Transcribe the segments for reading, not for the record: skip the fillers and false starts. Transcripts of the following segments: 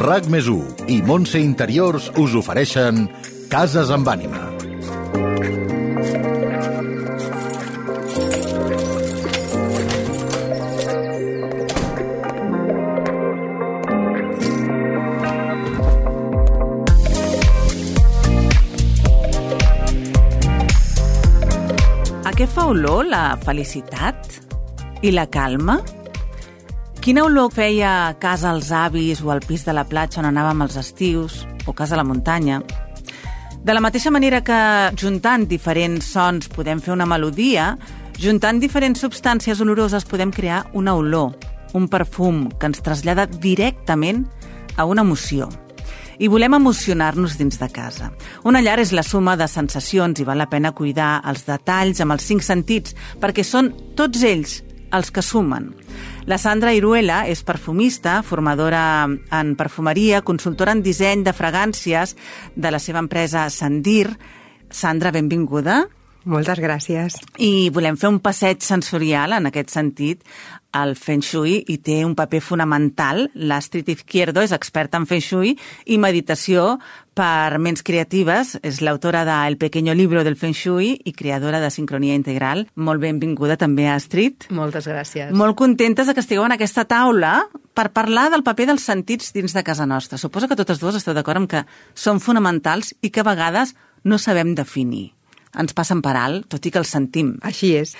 RAC+1 i Montse Interiors us ofereixen Cases amb ànima. A què fa olor la felicitat i la calma? Quina olor feia a casa als avis o al pis de la platja on anàvem als estius o casa a la muntanya? De la mateixa manera que juntant diferents sons podem fer una melodia, juntant diferents substàncies oloroses podem crear una olor, un perfum que ens trasllada directament a una emoció. I volem emocionar-nos dins de casa. Una llar és la suma de sensacions i val la pena cuidar els detalls amb els 5 sentits, perquè són tots ells els que sumen. La Sandra Iruela és perfumista, formadora en perfumeria, consultora en disseny de fragàncies de la seva empresa Sandir. Sandra, benvinguda. Moltes gràcies. I volem fer un passeig sensorial en aquest sentit. El Feng Shui hi té un paper fonamental. L'Astrid Izquierdo és experta en Feng Shui i meditació per ments creatives. És l'autora de El pequeño libro del Feng Shui i creadora de Sincronia Integral. Molt benvinguda també, Astrid. Moltes gràcies. Molt contentes de que estigueu en aquesta taula per parlar del paper dels sentits dins de casa nostra. Suposo que totes dues esteu d'acord amb que són fonamentals i que a vegades no sabem definir. Ens passen per alt, tot i que els sentim. Així és.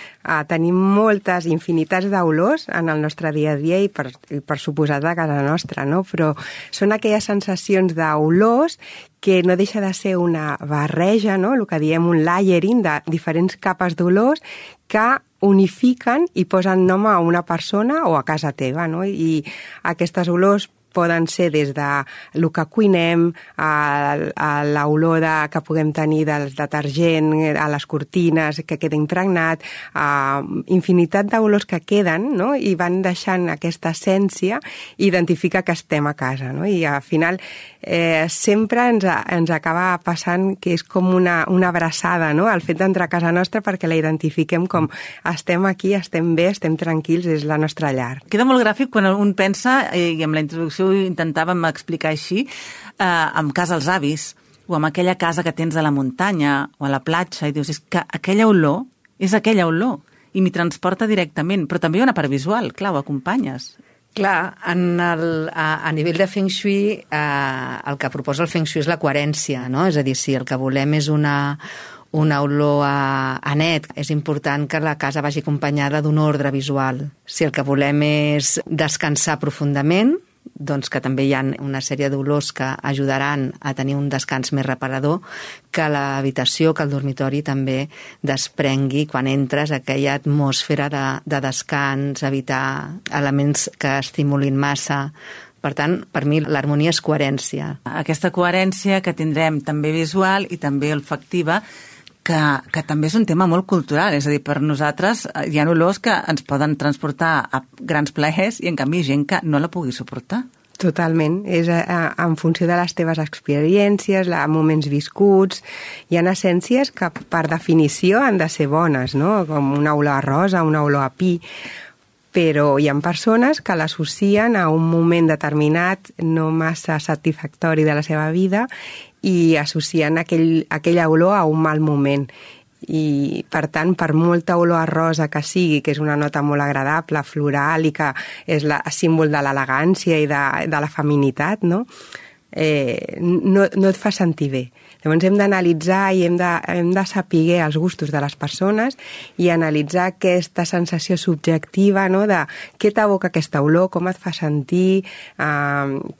Tenim moltes infinitats d'olors en el nostre dia a dia i per suposat a casa nostra, no? Però són aquelles sensacions d'olors que no deixa de ser una barreja, no? El que diem un layering de diferents capes d'olors que unifiquen i posen nom a una persona o a casa teva, no? I aquestes olors poden ser des de el que cuinem, a l'olor que puguem tenir del detergent, a les cortines, que queda impregnat, a infinitat d'olors que queden, no? I van deixant aquesta essència i identifica que estem a casa, no? I al final sempre ens acaba passant que és com una abraçada, no? El fet d'entrar a casa nostra perquè la identifiquem com estem aquí, estem bé, estem tranquils, és la nostra llar. Queda molt gràfic quan un pensa, i amb la introducció intentàvem explicar així, amb casa als avis o amb aquella casa que tens a la muntanya o a la platja i dius, és que aquella olor és aquella olor i m'hi transporta directament, però també hi ha una part visual, clar, ho acompanyes. Clar, a nivell de Feng Shui, el que proposa el Feng Shui és la coherència, no? És a dir, si el que volem és una olor a net, és important que la casa vagi acompanyada d'un ordre visual. Si el que volem és descansar profundament, doncs que també hi ha una sèrie d'olors que ajudaran a tenir un descans més reparador, que l'habitació, que el dormitori també desprengui quan entres aquella atmosfera de descans, evitar elements que estimulin massa. Per tant, per mi l'harmonia és coherència. Aquesta coherència que tindrem també visual i també olfactiva, que també és un tema molt cultural, és a dir, per nosaltres hi ha olors que ens poden transportar a grans plaers i en canvi gent que no la pugui suportar. Totalment, és en funció de les teves experiències, moments viscuts. Hi ha essències que per definició han de ser bones, no? Com una olor a rosa, una olor a pi, però hi ha persones que l'associen a un moment determinat no massa satisfactori de la seva vida i associen aquella olor a un mal moment. I, per tant, per molta olor a rosa que sigui, que és una nota molt agradable, floral i que és símbol de l'elegància i de la feminitat, no? No et fa sentir bé. Llavors hem d'analitzar i hem de saber els gustos de les persones i analitzar aquesta sensació subjectiva, no? De què t'evoca aquesta olor, com et fa sentir,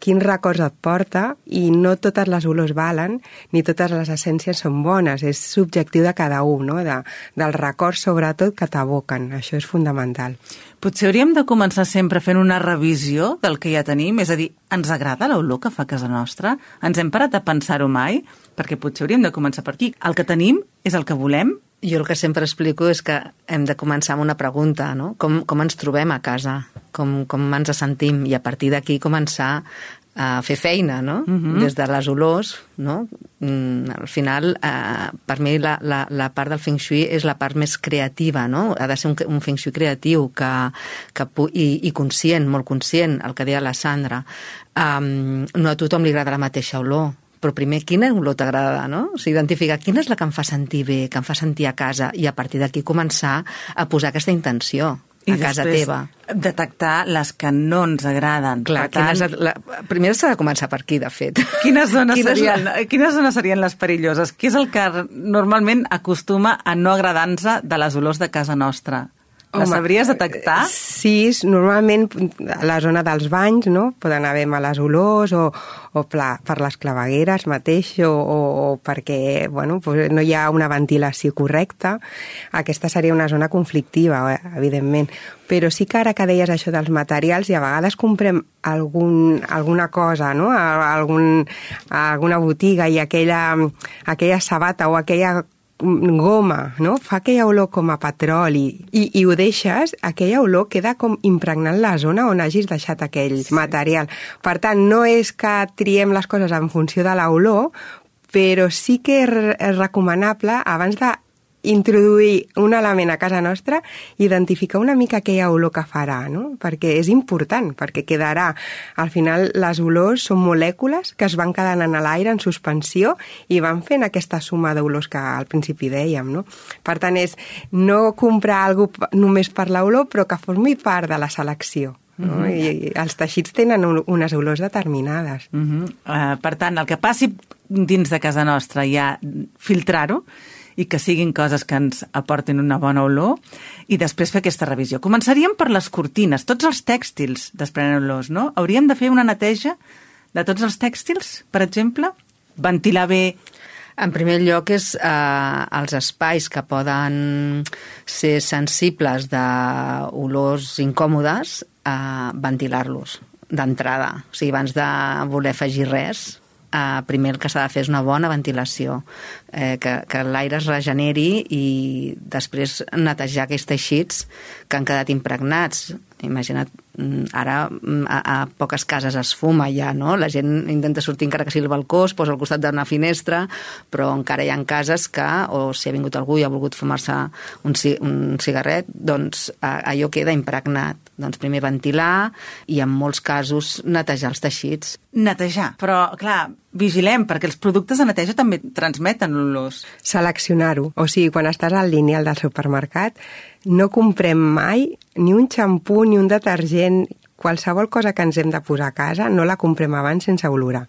quins records et porta, i no totes les olors valen ni totes les essències són bones, és subjectiu de cada un, no? Dels records sobretot que t'evoquen, això és fundamental. Potser hauríem de començar sempre fent una revisió del que ja tenim, és a dir, ens agrada l'olor que fa casa nostra? Ens hem parat a pensar-ho mai? Perquè potser hauríem de començar per aquí. El que tenim és el que volem? Jo el que sempre explico és que hem de començar amb una pregunta, no? Com ens trobem a casa? Com ens sentim? I a partir d'aquí començar fer feina, no? Des de les olors, no? Al final, per mi la part del Feng Shui és la part més creativa, no? Ha de ser un Feng Shui creatiu i conscient, molt conscient, el que deia la Sandra. No a tothom li agrada la mateixa olor, però primer, quina olor t'agrada, no? O sigui, identificar quina és la que em fa sentir bé, que em fa sentir a casa, i a partir d'aquí començar a posar aquesta intenció a casa teva. I detectar les que no ens agraden. Clar, primer s'ha de començar per aquí, de fet. Quines zones serien les perilloses? Què és el que normalment acostuma a no agradar-nos de les olors de casa nostra? Les sabries detectar? Sí, normalment a la zona dels banys, no? Poden haver males olors o per les clavegueres mateix o perquè no hi ha una ventilació correcta. Aquesta seria una zona conflictiva, evidentment. Però sí que ara que deies això dels materials, i a vegades comprem alguna cosa, no? A alguna botiga, i aquella sabata o aquella goma, no? Fa aquella olor com a petroli i ho deixes, aquella olor queda com impregnant la zona on hagis deixat aquell material. Per tant, no és que triem les coses en funció de l'olor, però sí que és recomanable, abans d'introduir un element a casa nostra, identificar una mica aquella olor que farà, no? Perquè és important, perquè quedarà. Al final, les olors són molècules que es van quedant en l'aire en suspensió i van fent aquesta suma d'olors que al principi dèiem, no? Per tant, és no comprar alguna cosa només per l'olor, però que formi part de la selecció. No? I els teixits tenen unes olors determinades. Per tant, el que passi dins de casa nostra, ja filtrar-ho, i que siguin coses que ens aportin una bona olor, i després fer aquesta revisió. Començaríem per les cortines. Tots els tèxtils desprenen olors, no? Hauríem de fer una neteja de tots els tèxtils, per exemple? Ventilar bé. En primer lloc és els espais que poden ser sensibles d'olors incòmodes, ventilar-los d'entrada. O sigui, abans de voler afegir res, primer el que s'ha de fer és una bona ventilació, que l'aire es regeneri i després netejar aquells teixits que han quedat impregnats. Imagina't, ara a poques cases es fuma ja, no? La gent intenta sortir encara que sigui al balcó, es posa al costat d'una finestra, però encara hi ha cases que, o si ha vingut algú i ha volgut fumar-se un cigarret, doncs allò queda impregnat. Doncs primer ventilar i en molts casos netejar els teixits. Netejar, però clar, vigilem, perquè els productes de neteja també transmeten olors. Seleccionar-ho. O sigui, quan estàs al lineal del supermercat, no comprem mai ni un xampú ni un detergent. Qualsevol cosa que ens hem de posar a casa no la comprem abans sense olorar.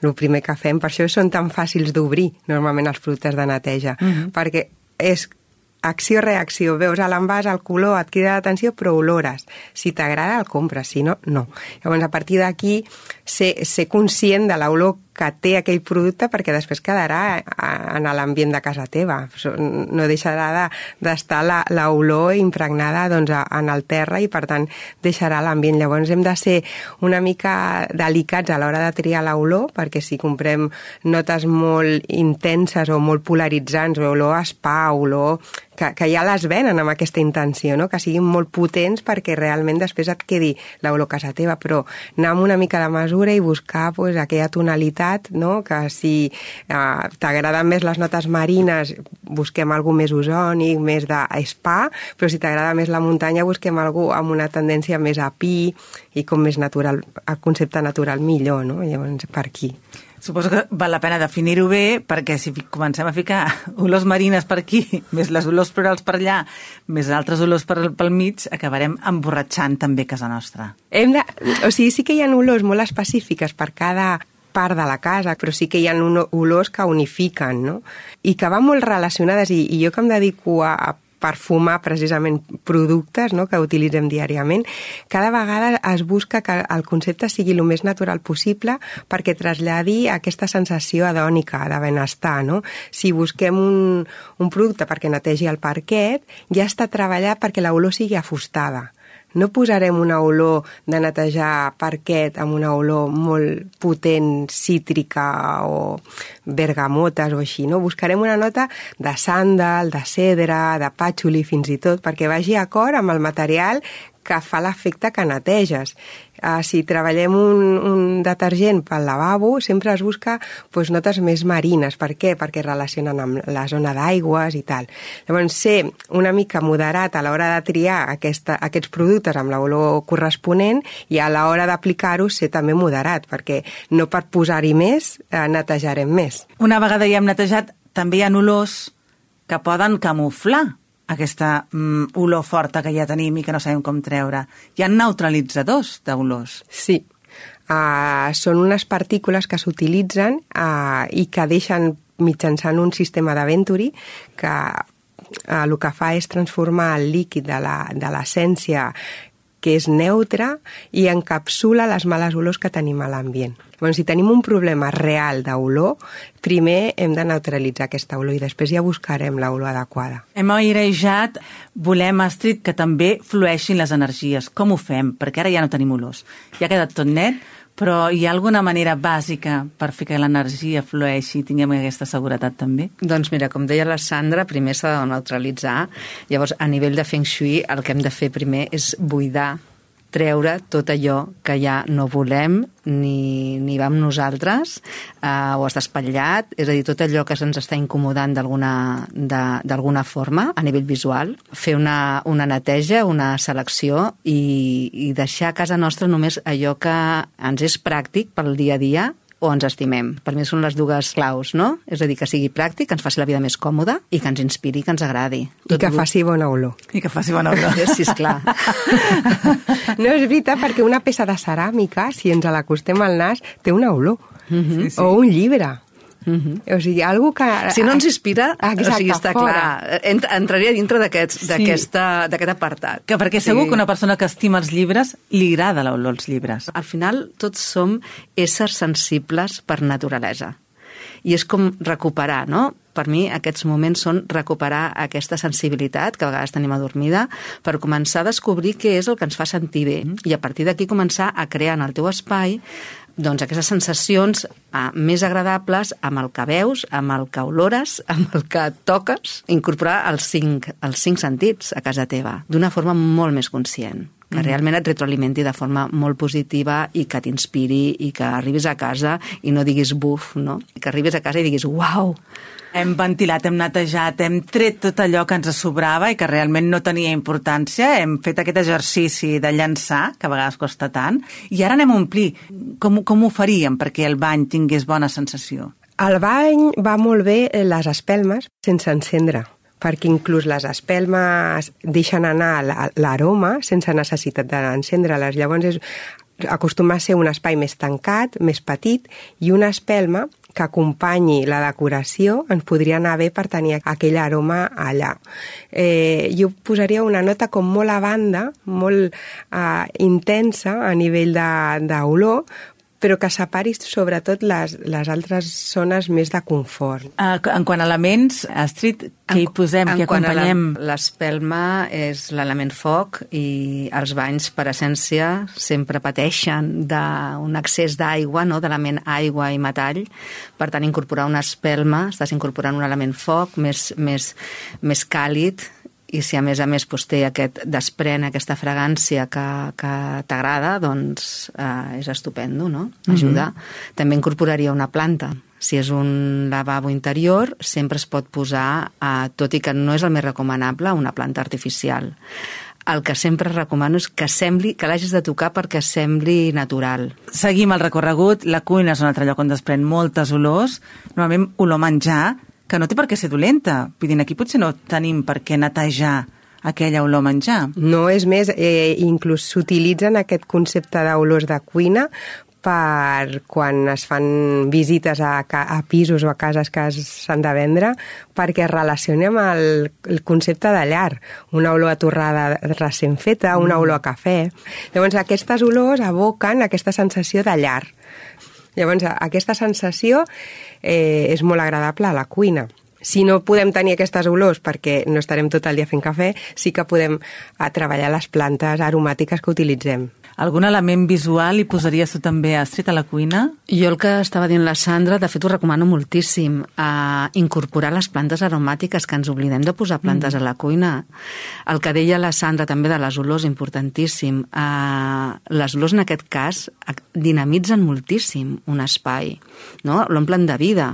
El primer que fem, per això són tan fàcils d'obrir normalment els productes de neteja, perquè és acció-reacció, veus a l'envàs, el color, et crida l'atenció, però olores. Si t'agrada, el compres, si no, no. Llavors, a partir d'aquí, ser conscient de l'olor que té aquell producte, perquè després quedarà en l'ambient de casa teva. No deixarà d'estar l'olor impregnada en el terra i, per tant, deixarà l'ambient. Llavors, hem de ser una mica delicats a l'hora de triar l'olor, perquè si comprem notes molt intenses o molt polaritzants, o olor a spa, olor que ja les venen amb aquesta intenció, no? Que siguin molt potents perquè realment després et quedi l'olor a casa teva, però anar amb una mica de mesura i buscar aquella tonalitat, no? Que si t'agraden més les notes marines, busquem alguna més ozònic, més de spa, però si t'agrada més la muntanya, busquem alguna amb una tendència més a pi i com més natural, el concepte natural millor, no? Llavors, per aquí. Suposo que val la pena definir-ho bé, perquè si comencem a ficar olors marines per aquí, més les olors florals per allà, més altres olors pel mig, acabarem emborratxant també casa nostra. O sigui, sí que hi ha olors molt específiques per cada part de la casa, però sí que hi ha olors que unifiquen, no? I que van molt relacionades, i jo que em dedico a perfumar precisament productes, no?, que utilitzem diàriament, cada vegada es busca que el concepte sigui el més natural possible perquè traslladi aquesta sensació hedònica, de benestar, no? Si busquem un producte perquè netegi el parquet, ja està treballat perquè l'olor sigui afustada. No posarem una olor de netejar parquet amb una olor molt potent, cítrica o bergamotes o així, no? Buscarem una nota de sàndal, de cedre, de pàtxuli fins i tot, perquè vagi acord amb el material que fa l'efecte que neteges. Si treballem un detergent pel lavabo, sempre es busca notes més marines. Per què? Perquè relacionen amb la zona d'aigües i tal. Llavors, ser una mica moderat a l'hora de triar aquests productes amb l'olor corresponent i a l'hora d'aplicar-ho ser també moderat, perquè no per posar-hi més netejarem més. Una vegada ja hem netejat, també hi ha olors que poden camuflar aquesta olor forta que ja tenim i que no sabem com treure. Hi ha neutralitzadors d'olors. Sí. Són unes partícules que s'utilitzen i que deixen mitjançant un sistema de Venturi que el que fa és transformar el líquid de l'essència que és neutre i encapsula les males olors que tenim a l'ambient. Bueno, si tenim un problema real d'olor, primer hem de neutralitzar aquesta olor i després ja buscarem l'olor adequada. Hem airejat, volem, Astrid, que també flueixin les energies. Com ho fem? Perquè ara ja no tenim olors. Ja ha quedat tot net, però hi ha alguna manera bàsica per fer que l'energia flueixi i tinguem aquesta seguretat també? Doncs mira, com deia la Sandra, primer s'ha de neutralitzar. Llavors, a nivell de Feng Shui, el que hem de fer primer és buidar, treure tot allò que ja no volem ni va amb nosaltres, o està espatllat, és a dir, tot allò que se'ns està incomodant d'alguna forma a nivell visual, fer una neteja, una selecció i deixar a casa nostra només allò que ens és pràctic pel dia a dia o ens estimem. Per mi són les dues claus, no? És a dir, que sigui pràctic, que ens faci la vida més còmoda i que ens inspiri, que ens agradi. I que faci bona olor. I que faci bona olor. Sí, esclar. No, és veritat, perquè una peça de ceràmica, si ens l'acostem al nas, té una olor. Sí. O un llibre. O sigui, algú que... Si no ens inspira, exacte, o sigui, està clar. Entraria dintre d'aquest apartat. Que perquè segur que una persona que estima els llibres li agrada l'olor als llibres. Al final, tots som éssers sensibles per naturalesa. I és com recuperar, no? Per mi aquests moments són recuperar aquesta sensibilitat que a vegades tenim adormida per començar a descobrir què és el que ens fa sentir bé i a partir d'aquí començar a crear en el teu espai doncs aquestes sensacions més agradables amb el que veus, amb el que olores, amb el que toques, incorporar els cinc sentits a casa teva d'una forma molt més conscient, que realment et retroalimenti de forma molt positiva i que t'inspiri i que arribis a casa i no diguis buf, no? Que arribis a casa i diguis uau! Hem ventilat, hem netejat, hem tret tot allò que ens sobrava i que realment no tenia importància. Hem fet aquest exercici de llançar, que a vegades costa tant, i ara anem a omplir. Com ho faríem perquè el bany tingués bona sensació? Al bany va molt bé les espelmes sense encendre, perquè inclús les espelmes deixen anar l'aroma sense necessitat d'encendre-les. Llavors acostuma a ser un espai més tancat, més petit, i una espelma que acompanyi la decoració ens podria anar bé per tenir aquell aroma allà. Jo posaria una nota com molt a banda, molt intensa a nivell d'olor, però que separi sobretot les altres zones més de confort. En quant a elements, Astrid, què hi posem, què acompanyem? L'espelma és l'element foc i els banys, per essència, sempre pateixen d'un excés d'aigua, no? D'element aigua i metall. Per tant, incorporar una espelma, estàs incorporant un element foc més càlid, i si a més desprèn aquesta fragància que t'agrada, doncs és estupendo, no? Ajuda. També incorporaria una planta. Si és un lavabo interior, sempre es pot posar, tot i que no és el més recomanable, una planta artificial. El que sempre recomano és que l'hagis de tocar perquè sembli natural. Seguim el recorregut. La cuina és un altre lloc on desprèn moltes olors. Normalment olor menjar, que no té per què ser dolenta. Vull dir, aquí potser no tenim per què netejar aquella olor menjar. No, és més, inclús s'utilitzen aquest concepte d'olors de cuina per quan es fan visites a pisos o a cases que s'han de vendre, perquè es relacioni amb el concepte de llar. Una olor a torrada recent feta, una olor a cafè. Llavors, aquestes olors evoquen aquesta sensació de llar. Llavors, aquesta sensació és molt agradable a la cuina. Si no podem tenir aquestes olors perquè no estarem tot el dia fent cafè, sí que podem treballar les plantes aromàtiques que utilitzem. Algun element visual hi posaries tu també, Astrid, a la cuina? Jo el que estava dient la Sandra, de fet ho recomano moltíssim, incorporar les plantes aromàtiques, que ens oblidem de posar plantes a la cuina. El que deia la Sandra també de les olors, importantíssim. Les olors en aquest cas dinamitzen moltíssim un espai, no? L'omplen de vida.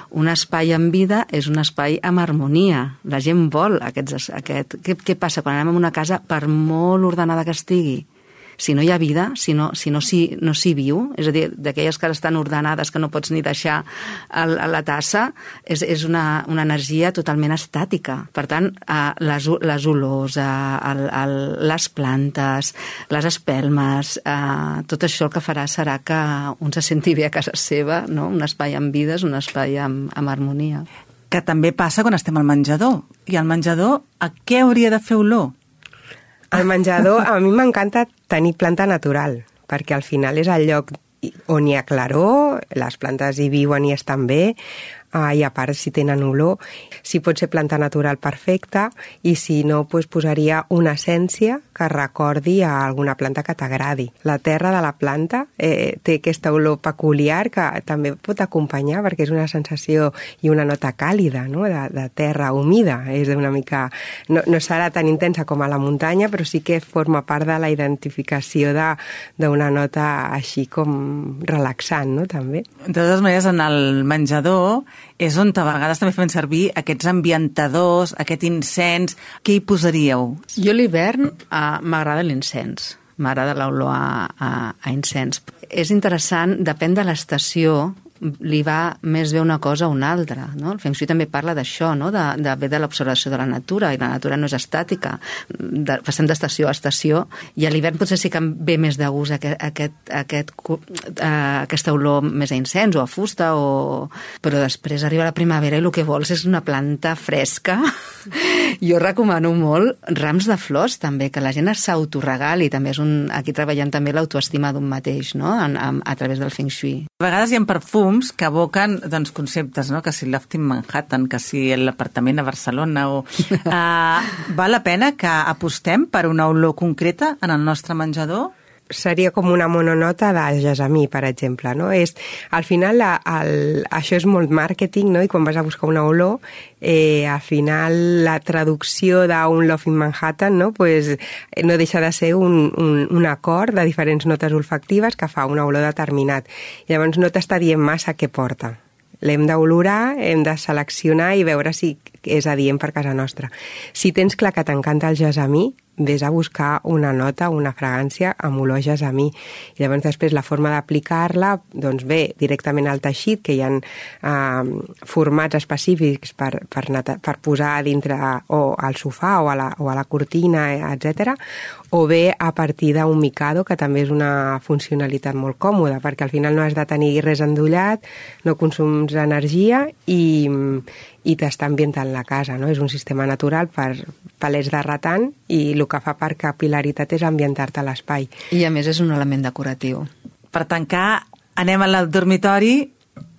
Un espai amb vida és un espai amb harmonia. La gent vol Què passa quan anem a una casa, per molt ordenada que estigui? Si no hi ha vida, si no s'hi viu, és a dir, d'aquelles cases tan ordenades que no pots ni deixar la tassa, és una energia totalment estàtica. Per tant, les olors, les plantes, les espelmes, tot això el que farà serà que un se senti bé a casa seva, no? Un espai amb vida és un espai amb harmonia. Que també passa quan estem al menjador. I al menjador, a què hauria de fer olor? Al menjador, a mi m'encanta tenir planta natural, perquè al final és el lloc on hi ha claror, les plantes hi viuen i estan bé, i a part si tenen olor, si pot ser planta natural perfecta, i si no, doncs posaria una essència que recordi a alguna planta que t'agradi. La terra de la planta té aquesta olor peculiar que també pot acompanyar, perquè és una sensació i una nota càlida, no? de terra humida. És una mica... No serà tan intensa com a la muntanya, però sí que forma part de la identificació d'una nota així com relaxant, no? També. De totes maneres, en el menjador és on a vegades també fem servir aquests ambientadors, aquest incens. Què hi posaríeu? Jo a l'hivern m'agrada l'incens. M'agrada l'olor a incens. És interessant, depèn de l'estació, li va més bé una cosa o una altra, no? El Feng Shui també parla d'això, no? de l'observació de la natura, i la natura no és estàtica, passem d'estació a estació, i a l'hivern potser sí que ve més de gust aquesta olor més a incens o a fusta, però després arriba la primavera i el que vols és una planta fresca. Jo recomano molt rams de flors també, que la gent s'autoregali, també és aquí treballem també l'autoestima d'un mateix, no? A través del Feng Shui. A vegades hi ha perfums que evoquen conceptes, no? Que si l'Loft in Manhattan, que si l'apartament a Barcelona val la pena que apostem per una olor concreta en el nostre menjador? Seria com una mononota de gessamí, per exemple, no? Al final, això és molt màrqueting, no? I quan vas a buscar una olor, al final la traducció d'un Loft in Manhattan, no? Pues, no deixa de ser un acord de diferents notes olfactives que fa una olor determinat. Llavors no t'està dient massa què porta. L'hem d'olorar, hem de seleccionar i veure si és adient per casa nostra. Si tens clar que t'encanta el gessamí, vés a buscar una nota, una fragància amb olor a gessamí. I llavors després la forma d'aplicar-la, doncs ve directament al teixit, que hi ha formats específics per posar dintre o al sofà o a la cortina, etc. O bé a partir d'un micado, que també és una funcionalitat molt còmoda, perquè al final no has de tenir res endollat, no consums energia i t'està ambientant la casa, no? És un sistema natural per palets de ratant i el que fa per capil·laritat és ambientar-te a l'espai. I a més és un element decoratiu. Per tancar, anem al dormitori,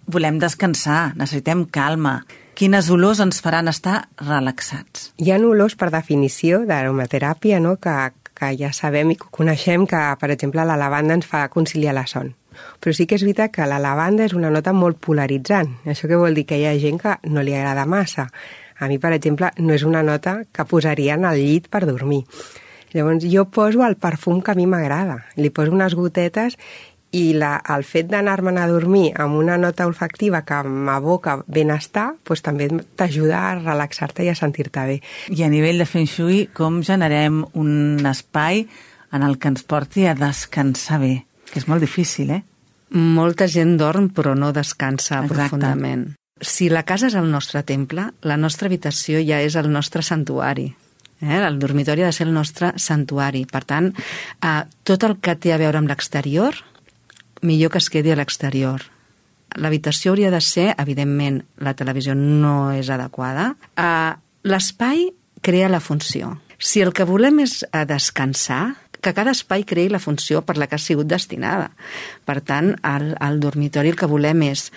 volem descansar, necessitem calma. Quines olors ens faran estar relaxats? Hi ha olors per definició d'aromateràpia, no? que ja sabem i coneixem que, per exemple, la lavanda ens fa conciliar la son. Però sí que és veritat que la lavanda és una nota molt polaritzant. Això què vol dir? Que hi ha gent que no li agrada massa. A mi, per exemple, no és una nota que posaria en el llit per dormir. Llavors, jo poso el perfum que a mi m'agrada. Li poso unes gotetes i el fet d'anar-me'n a dormir amb una nota olfactiva que m'evoca benestar, doncs també t'ajuda a relaxar-te i a sentir-te bé. I a nivell de Feng Shui, com generem un espai en el que ens porti a descansar bé? Que és molt difícil, Molta gent dorm però no descansa. Exacte. Profundament. Si la casa és el nostre temple, la nostra habitació ja és el nostre santuari. El dormitori ha de ser el nostre santuari. Per tant, tot el que té a veure amb l'exterior, millor que es quedi a l'exterior. L'habitació hauria de ser, evidentment, la televisió no és adequada. L'espai crea la funció. Si el que volem és descansar, que cada espai creï la funció per la que ha sigut destinada. Per tant, al dormitori el que volem és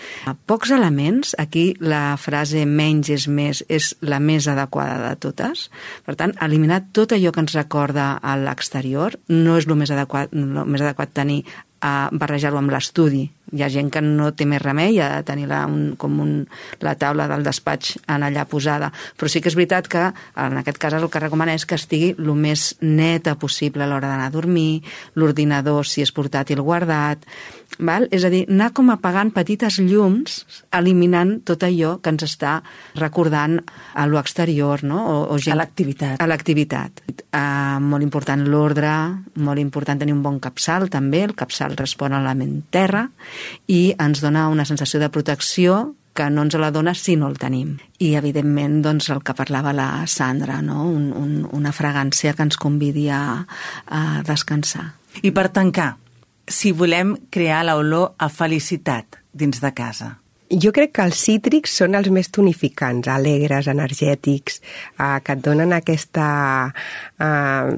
pocs elements. Aquí la frase menys és més és la més adequada de totes. Per tant, eliminar tot allò que ens recorda a l'exterior no és el més adequat tenir barrejar-ho amb l'estudi. Hi ha gent que no té més remei, ha de tenir la taula del despatx allà posada, però sí que és veritat que en aquest cas el que recomana és que estigui el més neta possible a l'hora d'anar a dormir, l'ordinador si és portàtil guardat, val? És a dir, anar com apagant petites llums, eliminant tot allò que ens està recordant a l'exterior, no? A l'activitat. A l'activitat. Molt important l'ordre, molt important tenir un bon capçal també, el capçal respon a l'element terra i ens dona una sensació de protecció que no ens la dona si no el tenim. I, evidentment, doncs, el que parlava la Sandra, no? Una fragància que ens convidi a descansar. I per tancar, si volem crear l'olor a felicitat dins de casa? Jo crec que els cítrics són els més tonificants, alegres, energètics, que et donen aquesta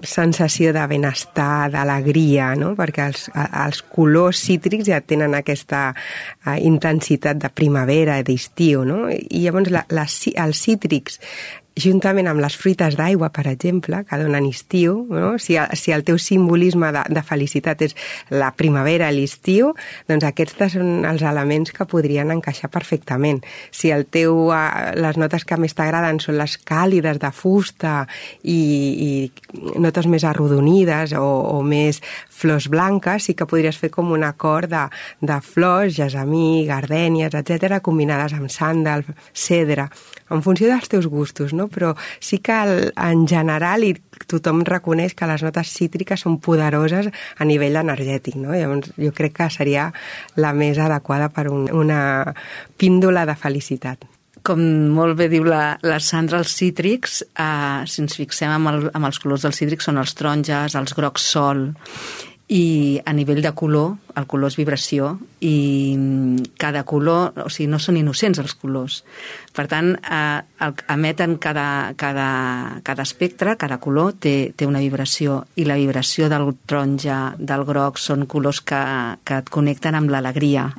sensació de benestar, d'alegria, no? Perquè els colors cítrics ja tenen aquesta intensitat de primavera, d'estiu, no? I llavors els cítrics, juntament amb les fruites d'aigua, per exemple, que donen estiu, no? Si el teu simbolisme de felicitat és la primavera i l'estiu, doncs aquests són els elements que podrien encaixar perfectament. Si les notes que més t'agraden són les càlides de fusta i notes més arrodonides o més flors blanques, sí que podries fer com un acord de flors, gessamí, gardènies, etc., combinades amb sàndal, cedre, en funció dels teus gustos, no? Però sí que en general tothom reconeix que les notes cítriques són poderoses a nivell energètic, no? Llavors jo crec que seria la més adequada per una píndola de felicitat. Com molt bé diu la Sandra, els cítrics, si ens fixem amb els colors dels cítrics, són els taronges, els grocs sol, i a nivell de color, el color és vibració i cada color, o sigui, no són innocents els colors. Per tant, emeten cada espectre, cada color té una vibració i la vibració del taronja, del groc, són colors que et connecten amb l'alegria.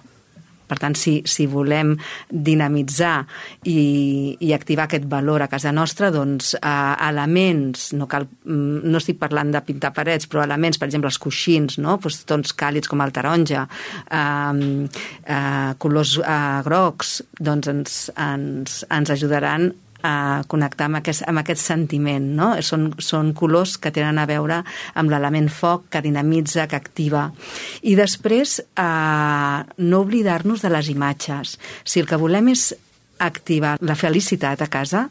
Per tant, si volem dinamitzar i activar aquest valor a casa nostra, doncs elements, no estic parlant de pintar parets, però elements, per exemple, els coixins, no? Doncs, tons càlids com el taronja, colors grocs, doncs ens ajudaran a connectar amb aquest sentiment, no? Són colors que tenen a veure amb l'element foc, que dinamitza, que activa. I després, no oblidar-nos de les imatges. Si el que volem és activar la felicitat a casa,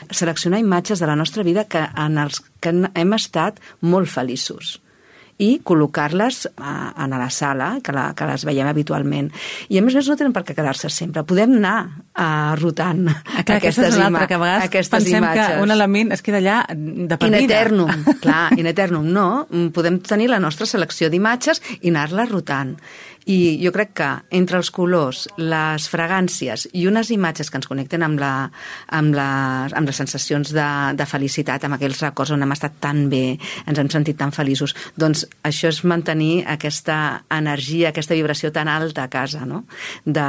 seleccionar imatges de la nostra vida en els que hem estat molt feliços i col·locar-les a la sala, que les veiem habitualment. I a més no tenen per què quedar-se sempre. Podem anar rotant aquestes imatges. Que a vegades pensem que un element es queda allà de per vida. In eternum, clar, in eternum. No, podem tenir la nostra selecció d'imatges i anar-la rotant. I jo crec que entre els colors, les fragàncies i unes imatges que ens connecten amb les sensacions de felicitat, amb aquells records on hem estat tan bé, ens hem sentit tan feliços, doncs això és mantenir aquesta energia, aquesta vibració tan alta a casa, no? de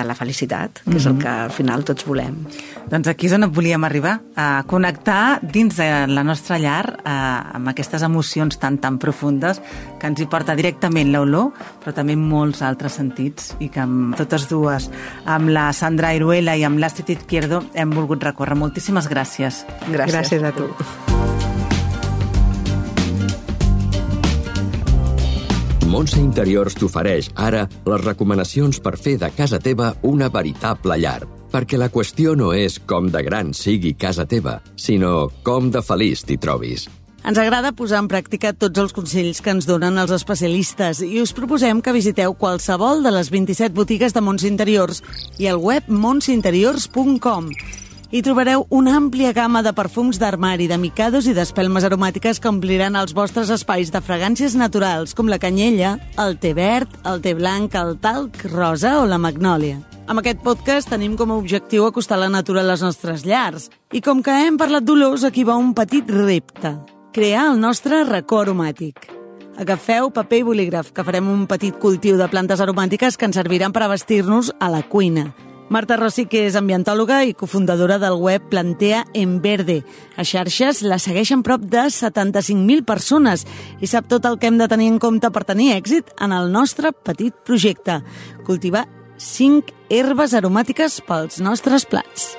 la felicitat, que és el que al final tots volem. Doncs aquí és on volíem arribar, a connectar dins de la nostra llar amb aquestes emocions tan profundes que ens hi porta directament l'olor, però també molts altres sentits, i que amb totes dues, amb la Sandra Iruela i amb l'Astrid Izquierdo, hem volgut recórrer. Moltíssimes gràcies. Gràcies a tu. Montse Interiors t'ofereix ara les recomanacions per fer de casa teva una veritable llar. Perquè la qüestió no és com de gran sigui casa teva, sinó com de feliç t'hi trobis. Ens agrada posar en pràctica tots els consells que ens donen els especialistes i us proposem que visiteu qualsevol de les 27 botigues de Montse Interiors i el web montseinteriors.com. Hi trobareu una àmplia gamma de perfums d'armari, de micados i d'espelmes aromàtiques que ompliran els vostres espais de fragàncies naturals, com la canyella, el te verd, el te blanc, el talc, rosa o la magnòlia. Amb aquest podcast tenim com a objectiu acostar la natura a les nostres llars. I com que hem parlat d'olors, aquí va un petit repte. crear el nostre racó aromàtic. Agafeu paper i bolígraf, que farem un petit cultiu de plantes aromàtiques que ens serviran per abastir-nos a la cuina. Marta Rossi, que és ambientòloga i cofundadora del web Plantea en Verde. A xarxes la segueixen prop de 75.000 persones i sap tot el que hem de tenir en compte per tenir èxit en el nostre petit projecte. Cultivar 5 herbes aromàtiques pels nostres plats.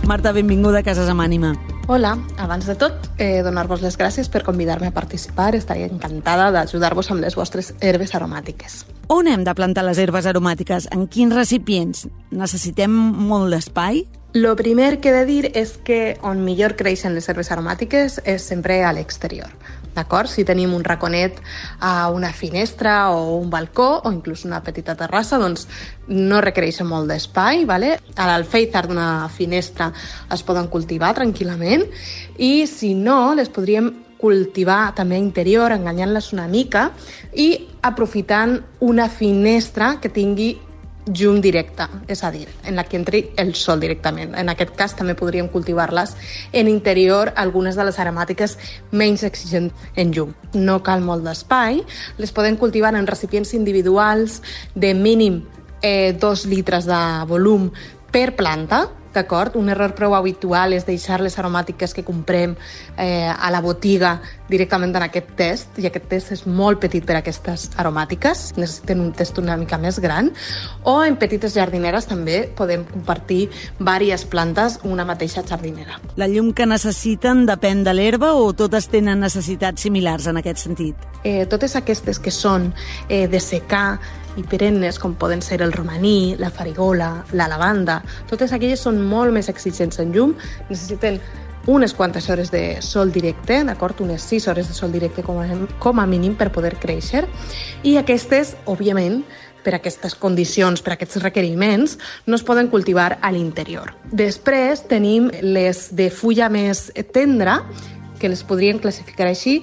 Marta, benvinguda a Cases amb Ànima. Hola, abans de tot, donar-vos les gràcies per convidar-me a participar. Estaré encantada d'ajudar-vos amb les vostres herbes aromàtiques. On hem de plantar les herbes aromàtiques? En quins recipients? Necessitem molt d'espai? Lo primer que he de dir és que on millor creixen les herbes aromàtiques és sempre a l'exterior. D'acord? Si tenim un raconet a una finestra o un balcó o inclús una petita terrassa, doncs no requereixen molt d'espai, ¿vale? A l'alféizar d'una finestra es poden cultivar tranquil·lament i si no, les podríem cultivar també a interior, enganyant-les una mica i aprofitant una finestra que tingui llum directe, és a dir, en la que entri el sol directament. En aquest cas també podríem cultivar-les en interior, algunes de les aromàtiques menys exigents en llum. No cal molt d'espai, les podem cultivar en recipients individuals de mínim 2 litres de volum per planta, d'acord? Un error prou habitual és deixar les aromàtiques que comprem a la botiga directament en aquest test, i aquest test és molt petit per a aquestes aromàtiques, necessiten un test una mica més gran, o en petites jardineres també podem compartir diverses plantes una mateixa jardinera. La llum que necessiten depèn de l'herba o totes tenen necessitats similars en aquest sentit? Totes aquestes que són de secà i perennes, com poden ser el romaní, la farigola, la lavanda, totes aquelles són molt més exigents en llum, necessiten unes quantes hores de sol directe, d'acord? Unes 6 hores de sol directe com a mínim per poder créixer, i aquestes, òbviament, per aquestes condicions, per aquests requeriments, no es poden cultivar a l'interior. Després tenim les de fulla més tendra, que les podríem classificar així,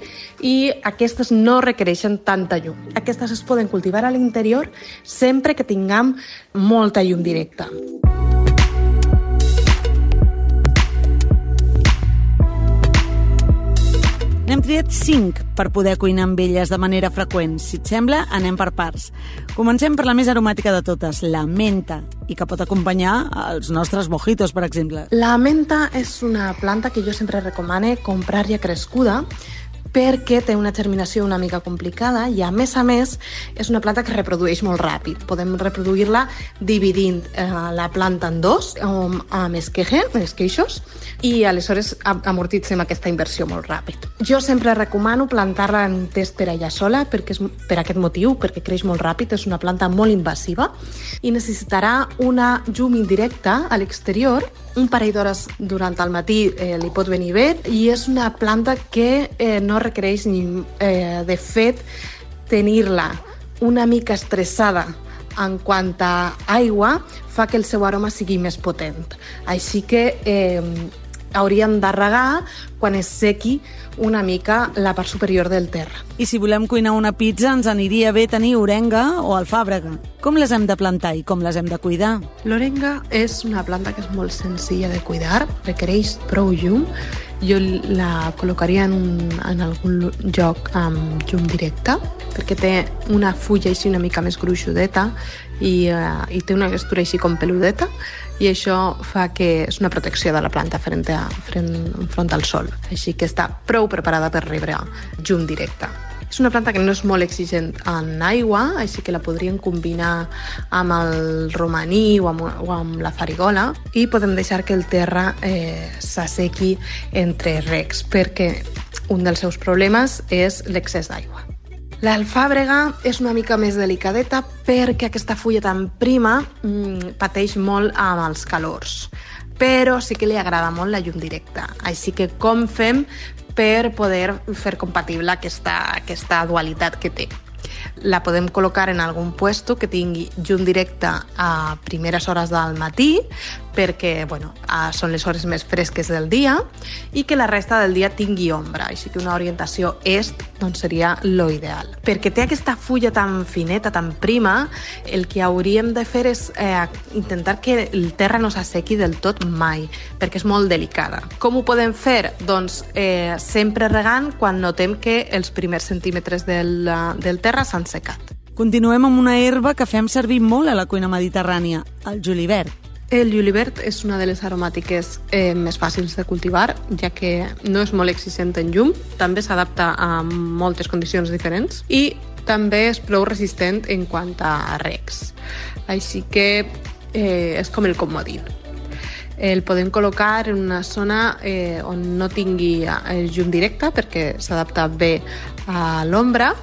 i aquestes no requereixen tanta llum. Aquestes es poden cultivar a l'interior sempre que tinguem molta llum directa. N'hem triat 5 per poder cuinar amb elles de manera freqüent. Si et sembla, anem per parts. Comencem per la més aromàtica de totes, la menta, i que pot acompanyar els nostres mojitos, per exemple. La menta és una planta que jo sempre recomano comprar ja crescuda, perquè té una germinació una mica complicada i, a més, és una planta que reprodueix molt ràpid. Podem reproduir-la dividint la planta en 2, amb esqueixos, i aleshores amortitzem aquesta inversió molt ràpid. Jo sempre recomano plantar-la en un test per ella sola, perquè per aquest motiu, perquè creix molt ràpid, és una planta molt invasiva i necessitarà una llum indirecta a l'exterior. Un parell d'hores durant el matí li pot venir bé, i és una planta que no requereix ni, de fet, tenir-la una mica estressada en quant a aigua fa que el seu aroma sigui més potent. Així que hauríem de regar quan es sequi una mica la part superior del terra. I si volem cuinar una pizza, ens aniria bé tenir orenga o alfàbrega. Com les hem de plantar i com les hem de cuidar? L'orenga és una planta que és molt senzilla de cuidar, requereix prou llum. Jo la col·locaria en algun lloc amb llum directa, perquè té una fulla així una mica més gruixudeta i té una textura així com peludeta, i això fa que és una protecció de la planta enfront al sol. Així que està prou preparada per rebre llum directa. És una planta que no és molt exigent en aigua, així que la podríem combinar amb el romaní o amb la farigola, i podem deixar que el terra s'assequi entre recs, perquè un dels seus problemes és l'excés d'aigua. L'alfàbrega és una mica més delicadeta perquè aquesta fulla tan prima pateix molt amb els calors, però sí que li agrada molt la llum directa. Així que com fem per poder fer compatible aquesta dualitat que té? La podem col·locar en algun puesto que tingui llum directa a primeres hores del matí, perquè són les hores més fresques del dia, i que la resta del dia tingui ombra. Així que una orientació est seria lo ideal. Perquè té aquesta fulla tan fineta, tan prima, el que hauríem de fer és intentar que el terra no s'assequi del tot mai, perquè és molt delicada. Com ho podem fer? Doncs sempre regant quan notem que els primers centímetres del terra s'han secat. Continuem amb una herba que fem servir molt a la cuina mediterrània, el julivert. El julivert és una de les aromàtiques més fàcils de cultivar, ja que no és molt exigent en llum, també s'adapta a moltes condicions diferents i també és prou resistent en quant a regs. Així que és com el comodín. El podem col·locar en una zona on no tingui llum directa perquè s'adapta bé a l'ombra,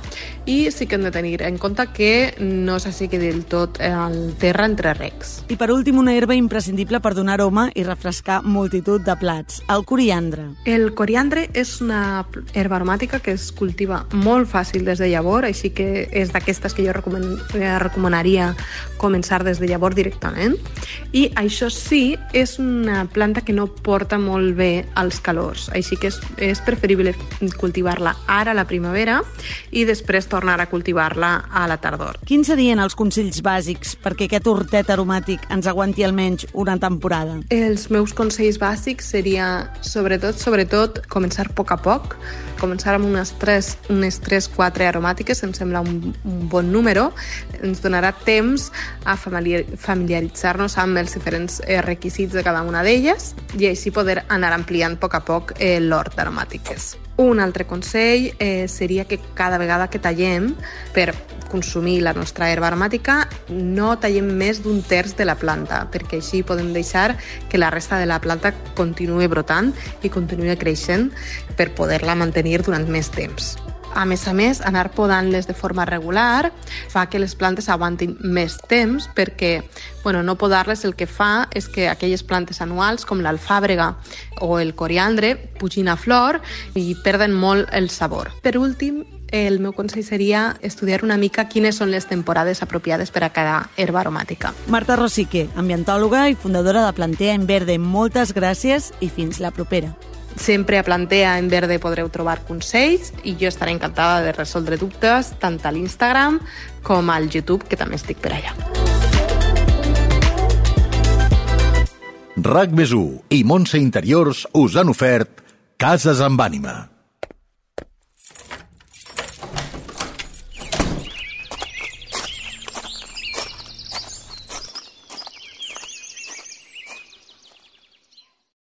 i sí que hem de tenir en compte que no s'assequi del tot el terra entre regs. I per últim, una herba imprescindible per donar aroma i refrescar multitud de plats, el coriandre. El coriandre és una herba aromàtica que es cultiva molt fàcil des de llavor, així que és d'aquestes que jo recomanaria començar des de llavor directament. I això sí, és una planta que no porta molt bé als calors, així que és preferible cultivar-la ara a la primavera i després tornar a cultivar-la a la tardor. Quins serien els consells bàsics perquè aquest hortet aromàtic ens aguanti almenys una temporada? Els meus consells bàsics seria, sobretot, començar a poc, començar amb unes 3-4 aromàtiques, em sembla un bon número, ens donarà temps a familiaritzar-nos amb els diferents requisits de cada una d'elles i així poder anar ampliant a poc l'hort d'aromàtiques. Un altre consell seria que cada vegada que tallem per consumir la nostra herba aromàtica no tallem més d'un terç de la planta, perquè així podem deixar que la resta de la planta continuï brotant i continuï creixent per poder-la mantenir durant més temps. A més, anar podant-les de forma regular fa que les plantes aguantin més temps perquè no podar-les el que fa és que aquelles plantes anuals com l'alfàbrega o el coriandre pugin a flor i perden molt el sabor. Per últim, el meu consell seria estudiar una mica quines són les temporades apropiades per a cada herba aromàtica. Marta Rosique, ambientòloga i fundadora de Plantea en Verde, moltes gràcies i fins la propera. Sempre a Plantea en Verde podreu trobar consells i jo estaré encantada de resoldre dubtes tant a l'Instagram com al YouTube, que també estic per allà. RAC+1 i Montse Interiors us han ofert Cases amb ànima.